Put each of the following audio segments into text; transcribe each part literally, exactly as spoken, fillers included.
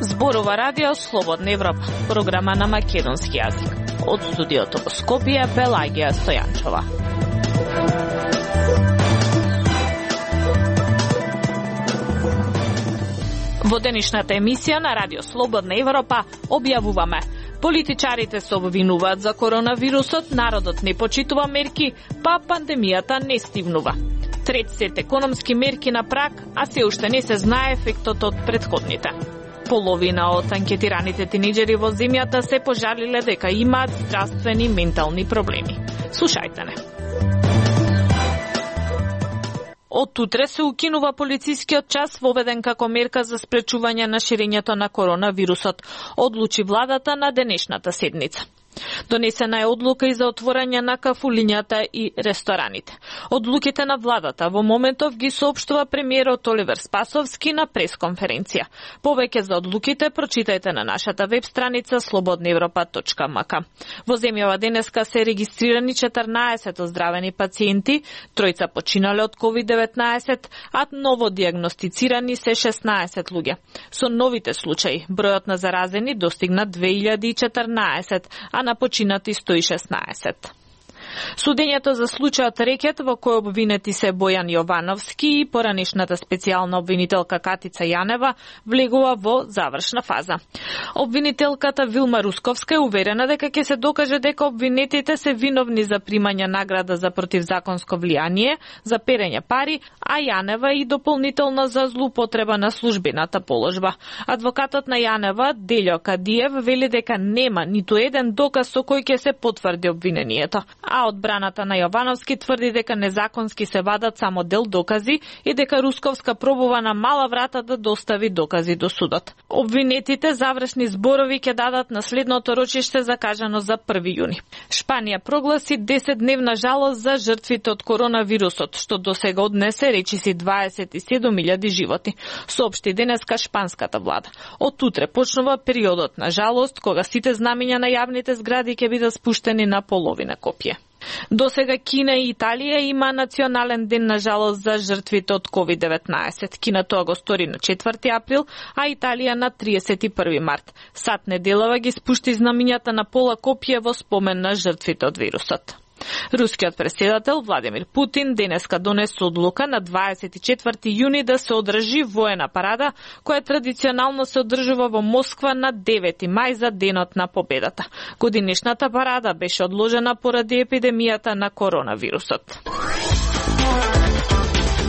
Зборува радио Слободна Европа, програма на македонски јазик. Од студиото во Скопје, Пелагија Стојанчова. Во денешната емисија на радио Слободна Европа објавуваме: политичарите се обвинуваат за коронавирусот, народот не почитува мерки, па пандемијата не стивнува. Трет сет економски мерки на праг, а се уште не се знае ефектот од претходните. Половина од анкетираните тинеџери во земјата се пожалиле дека имаат здравствени и ментални проблеми. Слушајте не. Од утре се укинува полицискиот час воведен како мерка за спречување на ширењето на коронавирусот, одлучи владата на денешната седница. Донесена е одлука и за отворање на кафулињата и рестораните. Одлуките на владата во моментов ги соопштува премиерот Оливер Спасовски на пресконференција. Повеќе за одлуките прочитајте на нашата веб страница слободна европа точка ем ка. Во земјава денеска се регистрирани четрнаесет оздравени пациенти, тројца починале од ковид деветнаесет, а ново диагностицирани се шеснаесет луѓе. Со новите случаи, бројот на заразени достигна две илјади и четрнаесет, а на починати сто и шеснаесет. Судењето за случајот рекет во кој обвинети се Бојан Јовановски и поранешната специјална обвинителка Катица Јанева влегува во завршна фаза. Обвинителката Вилма Русковска е уверена дека ќе се докаже дека обвинетите се виновни за примање награда за противзаконско влијание, за перење пари, а Јанева и дополнително за злоупотреба на службената положба. Адвокатот на Јанева, Делјо Кадиев, вели дека нема ниту еден доказ со кој ќе се потврди обвинението. А одбраната на Јовановски тврди дека незаконски се вадат само дел докази и дека Русковска пробува на мала врата да достави докази до судот. Обвинетите завршни зборови ќе дадат на следното рочиште закажано за први јуни. Шпанија прогласи десетдневна жалост за жртвите од коронавирусот, што досега однесе речиси дваесет и седум илјади животи, соопшти денеска шпанската влада. Од утре почнува периодот на жалост, кога сите знамиња на јавните згради ќе бидат спуштени на половина копија. Досега Кина и Италија има национален ден на жалост за жртвите од ковид деветнаесет. Кина тоа го стори на четврти април, а Италија на триесет и први март. Сат неделава ги спушти знамињата на пола копија во спомен на жртвите од вирусот. Рускиот претседател Владимир Путин денеска донесе одлука на дваесет и четврти јуни да се одржи воена парада, која традиционално се одржува во Москва на девети мај за денот на победата. Годинешната парада беше одложена поради епидемијата на коронавирусот.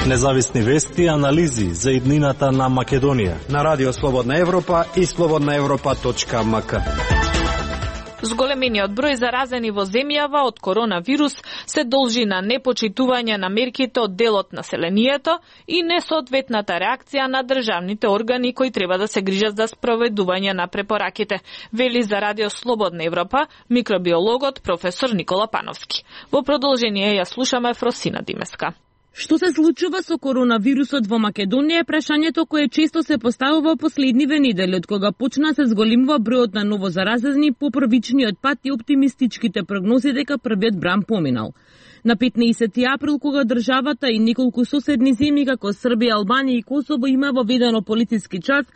Независни вести и анализи за иднината на Македонија на Радио Слободна Европа и слободна европа точка ем ка. Зголемениот број заразени во земјава од коронавирус се должи на непочитување на мерките од дел од населението и несоодветната реакција на државните органи кои треба да се грижат за спроведување на препораките, вели за Радио Слободна Европа микробиологот професор Никола Пановски. Во продолжение ја слушаме Фросина Димеска. Што се случува со коронавирусот во Македонија е прашањето кое често се поставува последниве недели, од кога почна се зголемува бројот на ново заразени по првичниот пат и оптимистичките прогнози дека првиот бран поминал. На петнаесети април, кога државата и неколку соседни земји како Србија, Албанија и Косово има воведено полициски час,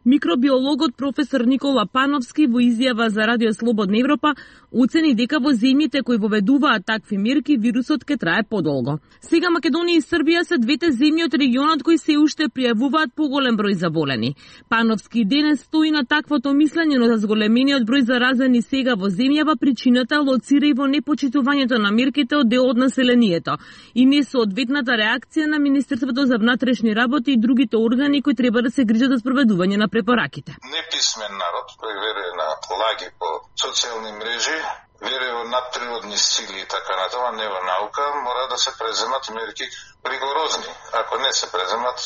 микробиологот професор Никола Пановски во изјава за Радио Слободна Европа оцени дека во земјите кои воведуваат такви мерки вирусот ќе трае подолго. Сега Македонија и Србија се двете земји од регионот кои се уште пријавуваат поголем број заболени. Пановски денес стои на таквото мислење, но за зголемениот број заразени сега во земјава причината лоцира и во непочитувањето на мерките од дел од населението и несоодветната реакција на Министерството за внатрешни работи и другите органи кои треба да се грижат за спроведување на препораките. Неписмен народ, кој верува на лаги по социјални мрежи, верува во надприродни сили и така натаму, не во наука, мора да се преземат мерки ригорозни. Ако не се преземат,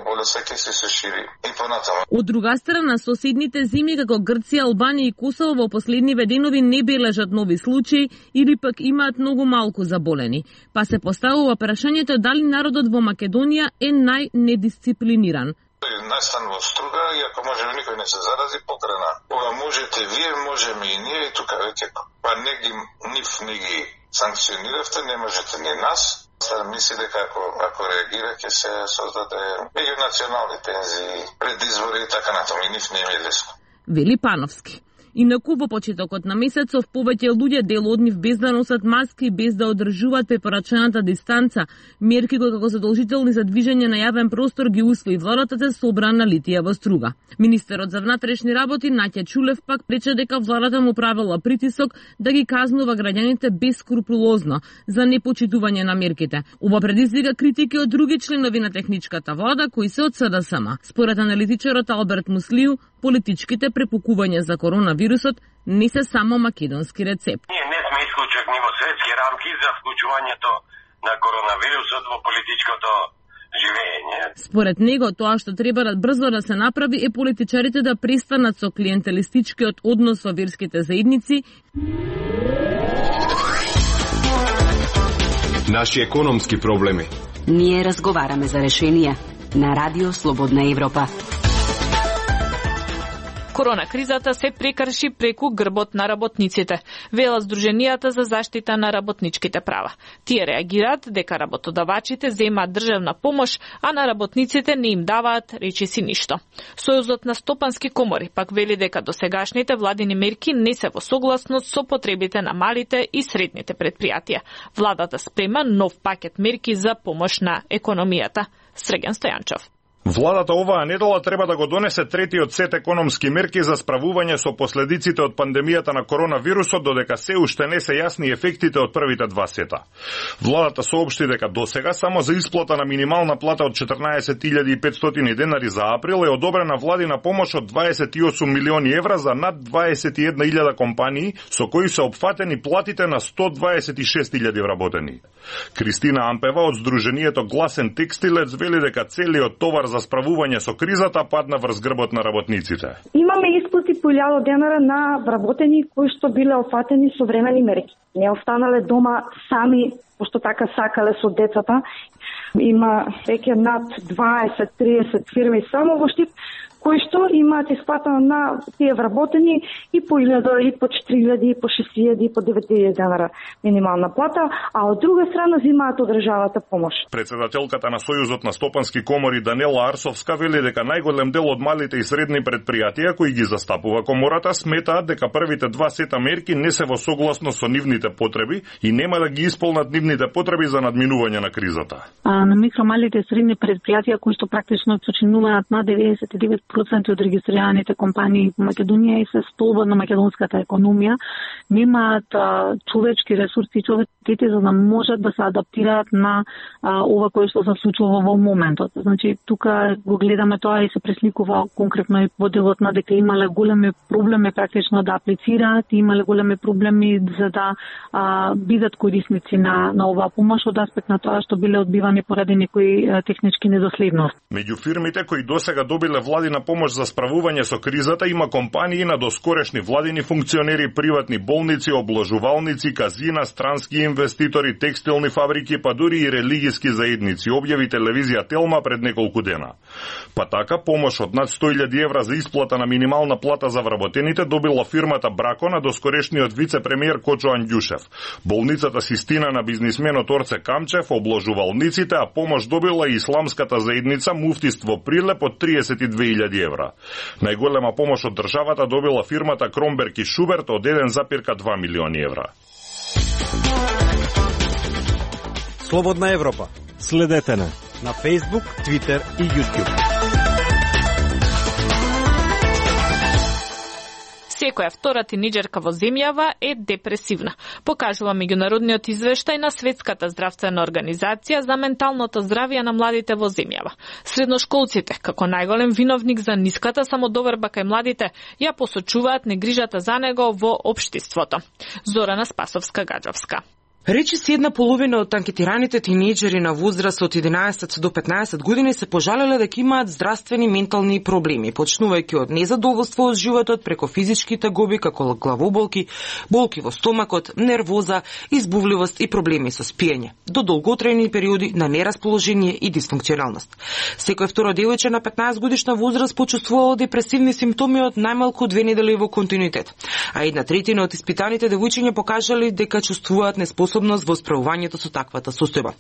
болеста ќе се се шири и понатаму. Од друга страна, соседните земји како Грција, Албанија и Косово во последниве денови не бележат нови случаи или пак имаат многу малку заболени. Па се поставува прашањето дали народот во Македонија е најнедисциплиниран. Настан во струга и ако може никој не се зарази, покрана. Ова можете вие, можеме и ние и тука веќе па не ги нив не ги санкциониравте, не можете ни нас. Стар мисли дека ако, ако реагира ќе се создаде меѓунационални тензии, предизбори и така натаму, и нив не е лесно. Вели Пановски. Инаку во почетокот на месецов повеќе луѓе дел од нив без да носат маски, без да одржуваат препорачената дистанца, мерки кои како задолжителни за движење на јавен простор ги усвои владата се собрана на Литија во Струга. Министерот за внатрешни работи Наќа Чулев пак рече дека владата му правила притисок да ги казнува граѓаните бескрупулозно за непочитување на мерките. Ова предизвика критики од други членови на техничката влада кои се од СДСМ. Според аналитичарот Алберт Муслију, политичките препукувања за коронавирусот не се само македонски рецепт. Ние не сме исклучени во светски рамки за вклучувањето на коронавирусот во политичкото живење. Според него, тоа што треба да брзо да се направи е политичарите да престанат со клиентелистичкиот однос во верските заедници. Наши економски проблеми. Ние разговараме за решенија на Радио Слободна Европа. Корона кризата се прекрши преку грбот на работниците, велат Сдруженијата за заштита на работничките права. Тие реагираат дека работодавачите земаат државна помош, а на работниците не им даваат речиси ништо. Сојузот на стопански комори пак вели дека досегашните владини мерки не се во согласност со потребите на малите и средните предпријатија. Владата спрема нов пакет мерки за помош на економијата. Среген Стојанчов. Владата оваа недела треба да го донесе третиот сет економски мерки за справување со последиците од пандемијата на коронавирусот, додека се уште не се јасни ефектите од првите два сета. Владата соопшти дека досега само за исплата на минимална плата од четрнаесет илјади и петстотини денари за април е одобрена владина помош од дваесет и осум милиони евра за над дваесет и една илјада компании, со кои се опфатени платите на сто дваесет и шест илјади вработени. Кристина Ампева од Сдруженијето Гласен текстилец вели дека целиот товар за справување со кризата падна врз грбот на работниците. Имаме исплати по илјада денара на вработени кои што биле опфатени со времени мерки. Не останале дома сами, пошто така сакале со децата. Има веќе над дваесет до триесет фирми само во Штип кои што имаат исплатено на тие вработени и по илјада, и по четири илјади, и по шест илјади, и по девет илјади денара минимална плата, а од друга страна земаат од државата помош. Председателката на Сојузот на стопански комори Данела Арсовска вели дека најголем дел од малите и средни предпријатија кои ги застапува комората сметаат дека првите два сета мерки не се во согласност со нивните потреби и нема да ги исполнат нивните потреби за надминување на кризата. А на микро, малите и средни предпријатија кои што практично починуваат на деветдесет и девет проценти од регистрираните компании во Македонија и се столба на македонската економија, немаат а, човечки ресурси и човеците за да можат да се адаптираат на а, ова кое што се случува во моментот. Значи, тука го гледаме тоа и се пресликува конкретно и во делот на дека имале големи проблеми практично да аплицираат, имале големи проблеми за да а, бидат корисници на, на оваа помош од аспект на тоа што биле одбивани поради некои а, технички недоследности. Меѓу фирмите кои досега добиле владина помош за справување со кризата има компании на доскорешни владини функционери, приватни болници, обложувалници, казина, странски инвеститори, текстилни фабрики, па дури и религиски заедници, објави телевизија Телма пред неколку дена. Па така, помош од над сто илјади евра за исплата на минимална плата за вработените добила фирмата Брако на доскорешниот вице-премиер Кочо Анѓушев. Болницата Систина на бизнисменот Орце Камчев, обложувалниците, а помош добила и исламската заедница Муфтиство Прилеп од триесет и две илјади евра. Најголема помош од државата добила фирмата Кромберг и Шуберт од еден зарез два милиони евра. Слободна Европа. Следете на на Facebook, Twitter и YouTube. Секоја втора тинеџерка во земјава е депресивна, покажува меѓународниот извештај на Светската здравствена организација за менталното здравје на младите во земјава. Средношколците, како најголем виновник за ниската самодоверба кај младите, ја посочуваат негрижата за него во општеството. Зорана Спасовска-Гаджовска. Речиси една половина од анкетираните тинејџери на возраст од единаесет до петнаесет години се пожалеле дека имаат здравствени ментални проблеми, почнувајќи од незадоволство од животот преку физичките гоби како главоболки, болки во стомакот, нервоза, избувливост и проблеми со спиење, до долготрајни периоди на нерасположение и дисфункционалност. Секој второ девојче на петнаесет годишна возраст почувствувало депресивни симптоми од најмалку две недели во континуитет, а една третина од испитаните девојчиња покажале дека чувствуваат неспособност во справувањето со таквата состојба.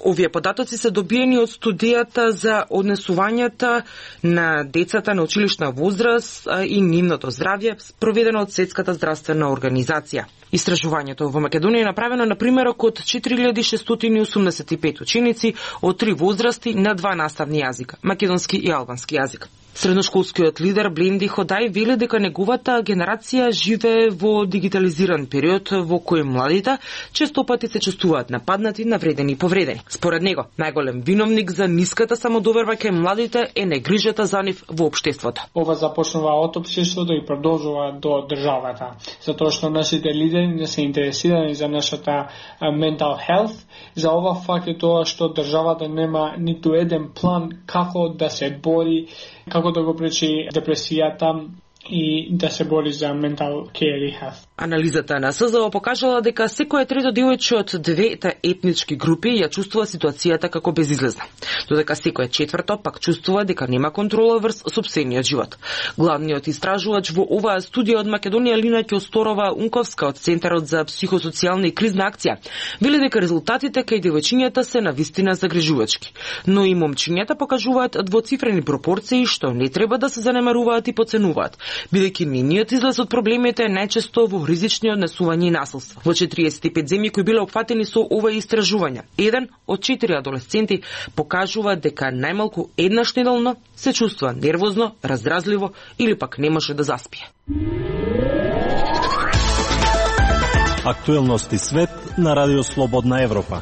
Овие податоци се добиени од студијата за однесувањата на децата на училишна возраст и нивното здравје, проведено од Светската здравствена организација. Истражувањето во Македонија е направено на примерок од четири илјади шестстотини и осумдесет и пет ученици од три возрасти на два наставни јазика, македонски и албански јазик. Средношколскиот лидер Бленди Ходај вели дека неговата генерација живее во дигитализиран период во кој младите често пати се чувствуваат нападнати, навредени и повредени. Според него, најголем виновник за ниската самодоверба кај младите е негрижата за нив во општеството. Ова започнува од општеството и продолжува до државата, затоа што нашите лидери не се интересирани за нашата mental health. За ова факт е тоа што државата нема ниту еден план како да се бори, како да го пречи депресијата и да се бори за mental care и health. Анализата на СЗО покажала дека секој трето девојче од двете етнички групи ја чувствува ситуацијата како безизлезна, додека секој четврто пак чувствува дека нема контрола врз сопствениот живот. Главниот истражувач во оваа студија од Македонија Лина Ќосторова-Унковска од Центарот за психосоцијална и кризна акција вели дека резултатите кај девојчињата се навистина загрижувачки, но и момчињата покажуваат двоцифрени пропорции што не треба да се занемаруваат и поценуваат, бидејќи нивниот излез од проблемите е најчесто во ризични однесувања и насилство. Во четириесет и пет земји кои биле опфатени со ова истражување, еден од четири адолесценти покажува дека најмалку еднаш неделно се чувствува нервозно, раздразливо или пак не може да заспие. Актуелности свет на Радио Слободна Европа.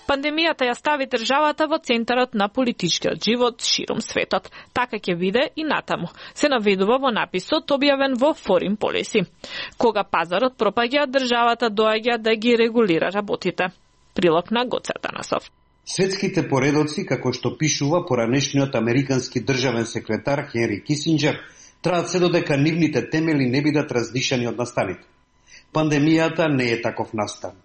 Пандемијата ја стави државата во центарот на политичкиот живот широм светот. Така ќе биде и натаму. Се наведува во написот објавен во Foreign Policy. Кога пазарот пропаѓа, државата доаѓа да ги регулира работите. Прилог на Гоце Атанасов. Светските поредоци, како што пишува поранешниот американски државен секретар Хенри Кисинџер, траат се додека нивните темели не бидат раздишани од настаните. Пандемијата не е таков настан.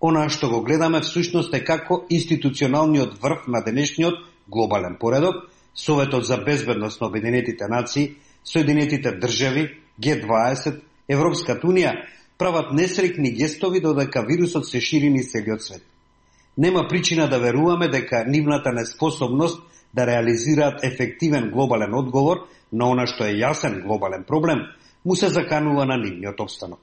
Она што го гледаме всушност е како институционалниот врв на денешниот глобален поредок, Советот за безбедност на Обединетите нации, Соединетите држави, Г дваесет, Европската унија прават несрекни гестови додека вирусот се шири низ целиот свет. Нема причина да веруваме дека нивната неспособност да реализираат ефективен глобален одговор на она што е јасен глобален проблем, му се заканува на нивниот опстанок.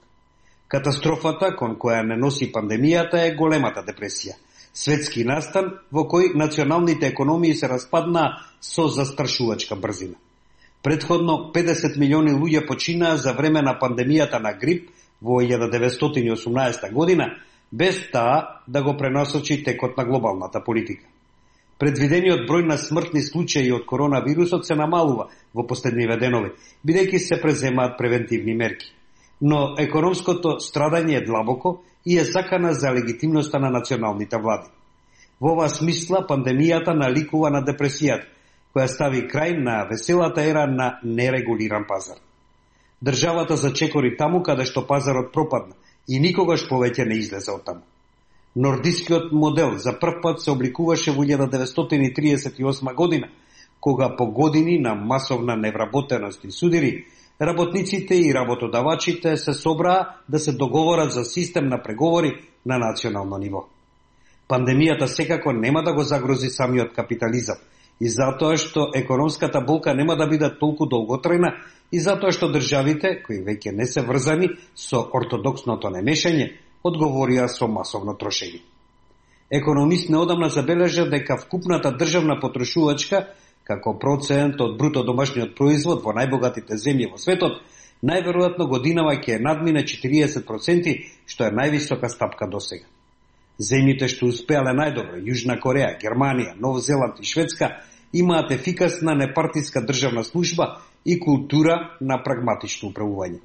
Катастрофата кон која не носи пандемијата е големата депресија, светски настан во кој националните економии се распаднаа со застрашувачка брзина. Предходно педесет милиони луѓе починаа за време на пандемијата на грип во илјада деветстотини и осумнаесета година, без таа да го пренасочи текот на глобалната политика. Предвидениот број на смртни случаи од коронавирусот се намалува во последниве денови, бидејќи се преземаат превентивни мерки. Но економското страдање е длабоко и е закана за легитимноста на националните влади. Во оваа смисла пандемијата наликува на депресијата, која стави крај на веселата ера на нерегулиран пазар. Државата зачекори таму каде што пазарот пропадна и никогаш повеќе не излезе од таму. Нордискиот модел за прв пат се обликуваше во илјада деветстотини триесет и осма година, кога по години на масовна невработеност и судири, работниците и работодавачите се собраа да се договорат за систем на преговори на национално ниво. Пандемијата секако нема да го загрози самиот капитализам, и затоа што економската болка нема да биде толку долготрајна, и затоа што државите, кои веќе не се врзани со ортодоксното немешање, одговорија со масовно трошење. Економист неодамна забележа дека вкупната државна потрошувачка, како процент од бруто домашниот производ во најбогатите земји во светот, најверојатно годинава ќе надмине четириесет проценти, што е највисока стапка досега. Земјите што успеале најдобро, Јужна Кореја, Германија, Нов Зеланд и Шведска, имаат ефикасна непартиска државна служба и култура на прагматично управување.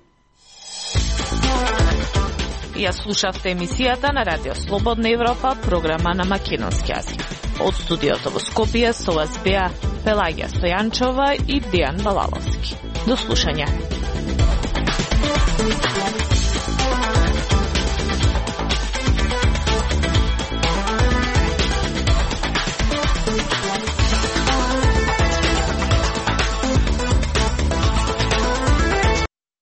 Ја слушавте емисијата на Радио Слободна Европа, програма на македонски јазик. Од студиото во Скопје со вас беа Пелагија Стојанчова и Дијан Балаловски. До слушање.